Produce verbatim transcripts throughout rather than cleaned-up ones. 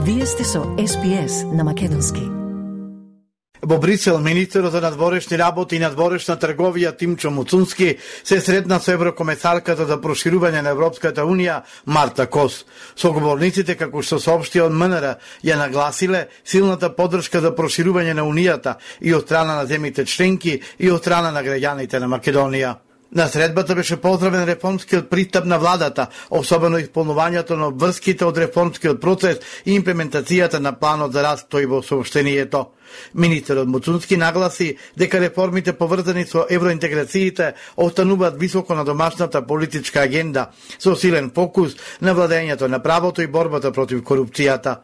Вие сте со Ес Би Ес на македонски. Во Брисел, министерот за надворешни работи и надворешна трговија Тимчо Муцунски се сретна со еврокомесарката за проширување на Европската Унија Марта Кос. Соговорниците, како што соопшти од МНР, ја нагласиле силната поддршка за проширување на Унијата и од страна на земите членки и од страна на граѓаните на Македонија. На средбата беше поздравен реформскиот пристап на владата, особено исполнувањето на обврските од реформскиот процес и имплементацијата на планот за раст, тој во соопштението. Министерот Муцунски нагласи дека реформите поврзани со евроинтеграциите остануваат високо на домашната политичка агенда, со силен фокус на владењето на правото и борбата против корупцијата.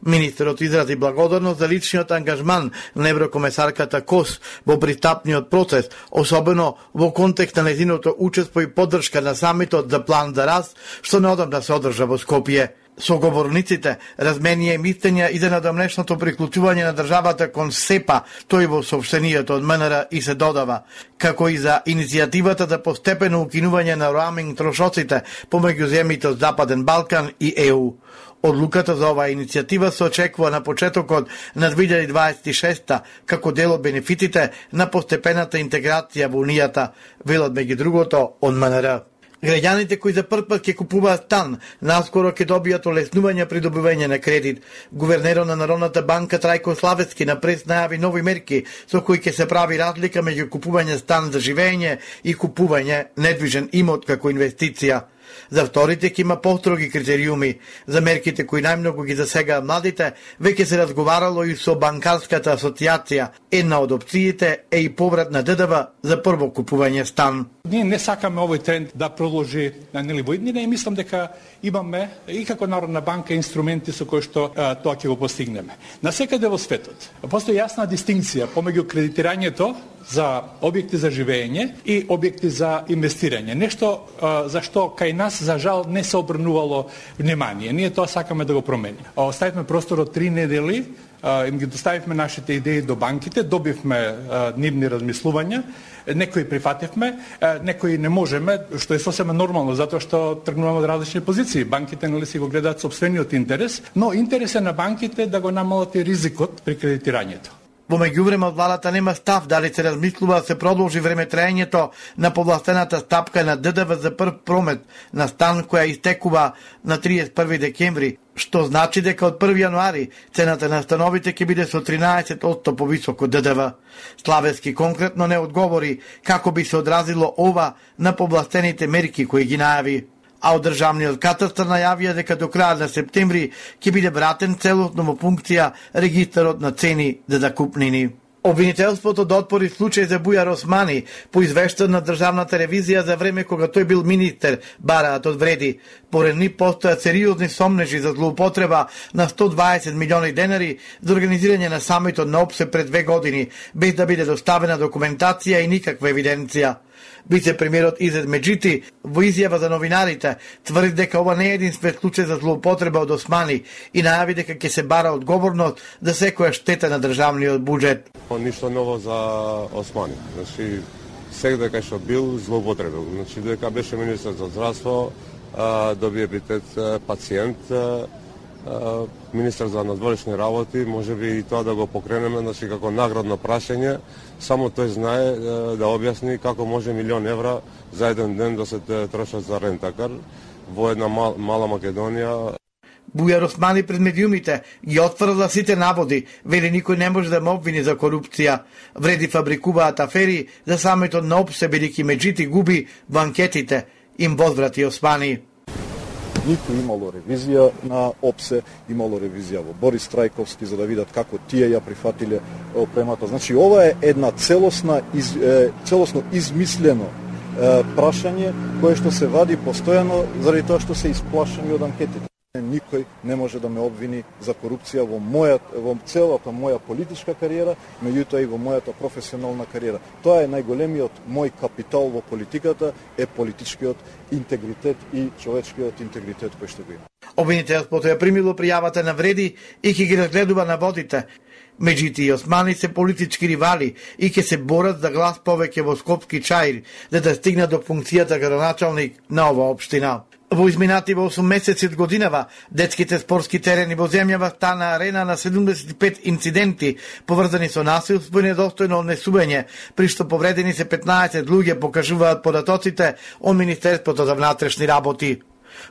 Министерот изрази благодарност за личниот ангажман на еврокомесарката Кос во пристапниот процес, особено во контекст на нејзиното учество и поддршка на самитот за план за раст, што неодамна се одржа во Скопје. Соговорниците разменија мислења и за надомнешното приклучување на државата кон СЕПА, тој во соопштението од МНР и се додава, како и за иницијативата за постепено укинување на роаминг трошоците помеѓу земјите од Западен Балкан и Е У. Одлуката за оваа иницијатива се очекува на почетокот на две илјади дваесет и шеста како дел од бенефитите на постепената интеграција во Унијата, велат меѓу другото од МНР. Граѓаните кои за прв пат ќе купуваат стан, наскоро ќе добијат олеснување при добивање на кредит. Гувернерот на Народната банка Трајко Славецки на прес најави нови мерки со кои ќе се прави разлика меѓу купување стан за живење и купување недвижен имот како инвестиција. За вторите ќе има построги критериуми. За мерките кои најмногу ги засегаат младите, веќе се разговарало и со банкарската асоциација. Една од опциите е и поврат на Д Д В за прво купување стан. Ние не сакаме овој тренд да продолжи на нели во иднина и мислам дека имаме и како Народна банка инструменти со кои што а, тоа ќе го постигнеме. Насекаде во светот постои јасна дистинкција помеѓу кредитирањето за објекти за живење и објекти за инвестирање. Нешто а, за што кај нас за жал не се обрнувало внимание. Ние тоа сакаме да го промениме. Оставивме простор од три недели, а, им ги доставивме нашите идеи до банките, добивме а, нивни размислувања. Некои прифативме, некои не можеме, што е сосема нормално, затоа што тргнуваме од различни позиции. Банките нели си го гледаат сопствениот интерес, но интересот на банките е да го намалат и ризикот при кредитирањето. Во меѓувреме од владата нема став дали се размислува да се продолжи времетраењето на повластената стапка на Д Д В за прв промет на стан која истекува на триесет и први декември, што значи дека од први јануари цената на становите ќе биде со тринаесет одсто повисоко Д Д В. Славецки конкретно не одговори како би се одразило ова на повластените мерки кои ги најави. А од државниот катастар најавија дека до крајот на септември ќе биде вратен целосно во функција регистарот на цени за закупнини. Обвинителството да отпори случај за Бујар Османи по извештај на државната ревизија за време кога тој бил министер, бараат од вреди. Поред нив постојат сериозни сомнежи за злоупотреба на сто дваесет милиони денари за организирање на самитот на ОПСЕ пред две години, без да биде доставена документација и никаква евиденција. Вице-премиерот Изет Меджити во изјава за новинарите тврди дека ова не е единствен случај за злоупотреба од Османи и најави дека ќе се бара одговорност за секоја штета на државниот буџет. Ништо ново за Османи. Значи, секаде кај што бил злоупотребил. Значи, дека беше министер за здравство, доби епитет пациент, министер за надворешни работи, може би и тоа да го покренеме, значи како наградно прашање, само тој знае да објасни како може милион евра за еден ден да се трошат за рентакар во една мал, мала Македонија. Бујар Османи пред медиумите ги отфрла сите наводи, вели никој не може да ме обвини за корупција. Вреди фабрикуваат афери за самитот на ОПСЕ, бидејќи Меджити губи во анкетите, им возврати Османи. Ниту имало ревизија на ОПСЕ, имало ревизија во Борис Трајковски за да видат како тие ја прифатиле опремата. Значи ова е една целосна из, е, целосно измислено е, прашање кое што се вади постојано заради тоа што се исплашени од анкетите. Никој не може да ме обвини за корупција во моја во целата моја политичка кариера, меѓутоа и во мојата професионална кариера. Тоа е најголемиот мој капитал во политиката, е политичкиот интегритет и човечкиот интегритет кој што го има. Обвинителството ја примило пријавата на вреди и ќе ги разгледува наводите. Меджити и Османи се политички ривали и ќе се борат за глас повеќе во Скопски чаир, за да стигнат до функцијата градоначалник на оваа општина. Во изминати во осум месеци од годинава, детските спортски терени во земјава стана арена на седумдесет и пет инциденти поврзани со насилство и недостојно однесување, при што повредени се петнаесет луѓе, покажуваат податоците од Министерството за внатрешни работи.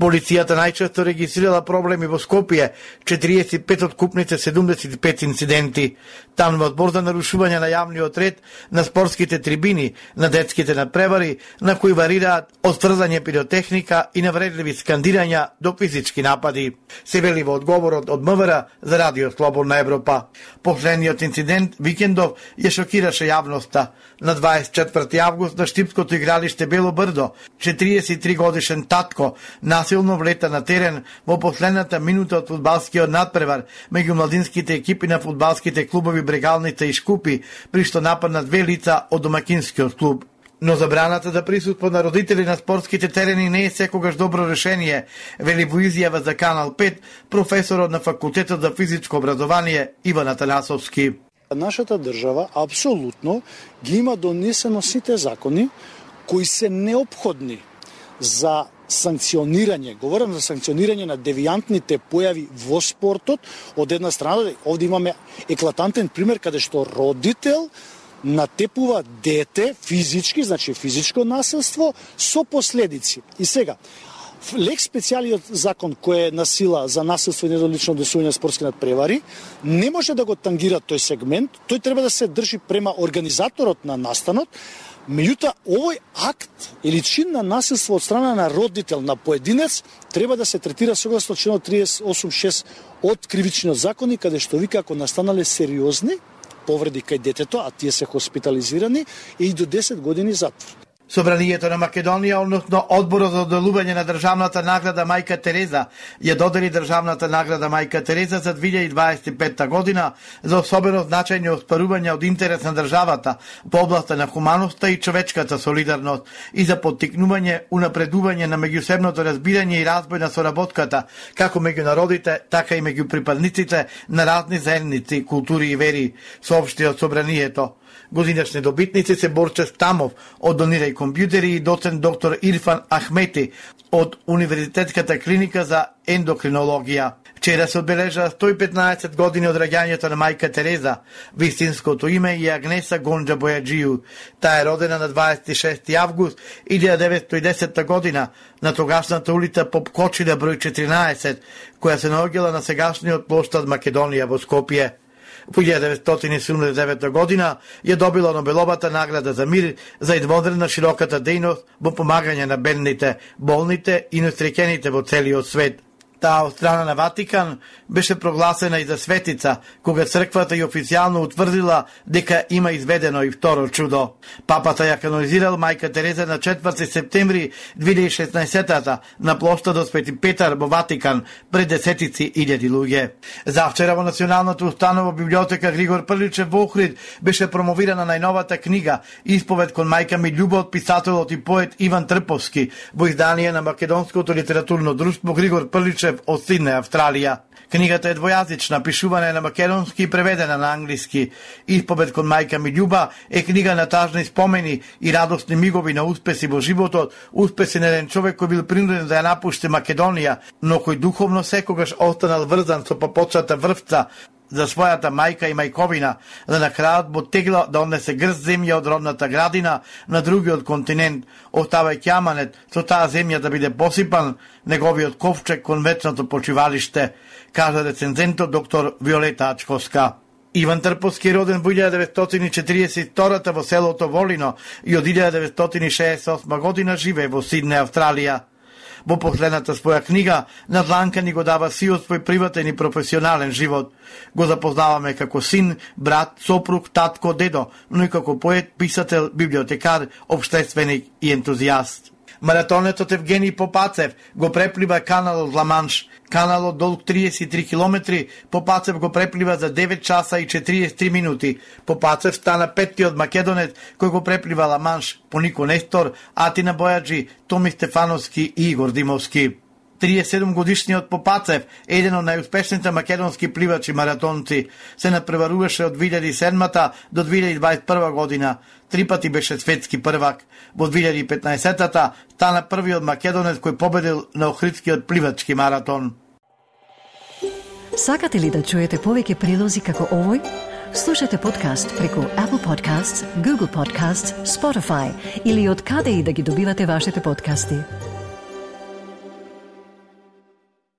Полицијата најчесто регистрирала проблеми во Скопје, четириесет и пет откупници, седумдесет и пет инциденти. Таму во збор за нарушување на јавниот ред, на спортските трибини, на детските надпревари, на кои варираат од сврзање пиротехника и навредливи скандирања до физички напади. Се вели во одговорот од МВР за Радио Слободна Европа. Последниот инцидент викендов ја шокираше јавноста. На дваесет и четврти август на Штипското игралиште Бело Брдо, четириесет и три годишен татко насилно влета на терен во последната минута од фудбалскиот надпревар меѓу младинските екипи на фудбалските клубови Брегалница и Шкупи, при што нападна две лица од домакинскиот клуб. Но забраната за присуство на родители на спортските терени не е секогаш добро решение, вели во изјава за Канал пет професорот на Факултетот за физичко образование Иван Атанасовски. Нашата држава апсолутно ги има донесено сите закони кои се неопходни за санкционирање, говорам за санкционирање на девијантните појави во спортот. Од една страна, овде имаме еклатантен пример каде што родител натепува дете физички, значи физичко насилство со последици. И сега, лек специјалиот закон кој е на сила за насилство и недолично однесување на спортски надпревари не може да го тангира тој сегмент, тој треба да се држи према организаторот на настанот. Меѓутоа, овој акт или чин на насилство од страна на родител на поединец треба да се третира согласно членот триесет и осум шест од кривичниот закон, каде што вика ако настанале сериозни повреди кај детето, а тие се хоспитализирани, и до десет години затвор. Собранието на Македонија, односно Одборот за доделување на државната награда Мајка Тереза, ја додели државната награда Мајка Тереза за две илјади и дваесет и петта година за особено значајни оспарувања од интерес на државата во областа на хуманоста и човечката солидарност и за поттикнување, унапредување на меѓусебното разбирање и разбој на соработката, како меѓу народите, така и меѓу припадниците на разни заедници, култури и вери, соопшти од собранието. Годинашни добитници се Борче Стамов од Донирај компјутери и доцент доктор Ирфан Ахмети од Универзитетската клиника за ендокринологија. Вчера се одбележа сто и петнаесет години од раѓањето на Мајка Тереза. Вистинското име е Агнеса Гонџа Бојаджију. Таа е родена на дваесет и шести август илјада деветстотини и десета година на тогашната улица Попкочина број четиринаесет, која се наоѓала на сегашниот плоштад Македонија во Скопје. Во илјада деветстотини и седумдесет и девета година ја добила Нобеловата награда за мир за едводредна широката дејност во помагање на бедните, болните и несреќените во целиот свет. Таа од страна на Ватикан беше прогласена и за светица, кога црквата ја официјално утврдила дека има изведено и второ чудо. Папата ја канонизирал Мајка Тереза на четврти септември две илјади и шеснаесета на плоштадот Свети Петар во Ватикан пред десетици илјади луѓе. Завчера во Националната установа библиотека Григор Прличев во Охрид беше промовирана најновата книга Исповед кон мајка ми љуба од писателот и поет Иван Трповски во издание на Македонското литературно друштво Григор Прличев од Сиднеј, Австралија. Книгата е двојазична, пишувана е на македонски и преведена на англиски. Исповед кон мајка ми љуба е книга на тажни спомени и радосни мигови на успеси во животот, успеси на еден човек кој бил принуден да ја напушти Македонија, но кој духовно секогаш останал врзан со попочната врвца за својата мајка и мајковина, да на крајот му тегла да однесе грст земја од родната градина на другиот континент, оставајќи аманет со таа земја да биде посипан неговиот ковчег кон вечното почивалиште, кажа рецензентот доктор Виолета Ачковска. Иван Трповски е роден во илјада деветстотини и четириесет и втора во селото Волино и од илјада деветстотини и шеесет и осма година живее во Сиднеј, Австралија. Во последната своја книга, Надланка ни го дава сиот свој приватен и професионален живот. Го запознаваме како син, брат, сопруг, татко, дедо, но и како поет, писател, библиотекар, обштественик и ентузијаст. Маратонетот Евгений Попацев го преплива каналот Ла-Манш. Каналот долг триесет и три километри, Попацев го преплива за девет часа и четириесет и три минути. Попацев стана петтиот македонец кој го преплива Ла-Манш, по Нико Нестор, Атина Бојаджи, Томи Стефановски и Игор Димовски. триесет и седум годишниот Попацев, еден од најуспешните македонски пливачи маратонци, се надпреваруваше од две илјади и седма до две илјади дваесет и прва година. Три пати беше светски првак. Во две илјади и петнаесета стана првиот македонец кој победил на Охридскиот пливачки маратон. Сакате ли да чуете повеќе прилози како овој? Слушате подкаст преку Apple Podcasts, Google Podcasts, Spotify или од каде и да ги добивате вашите подкасти.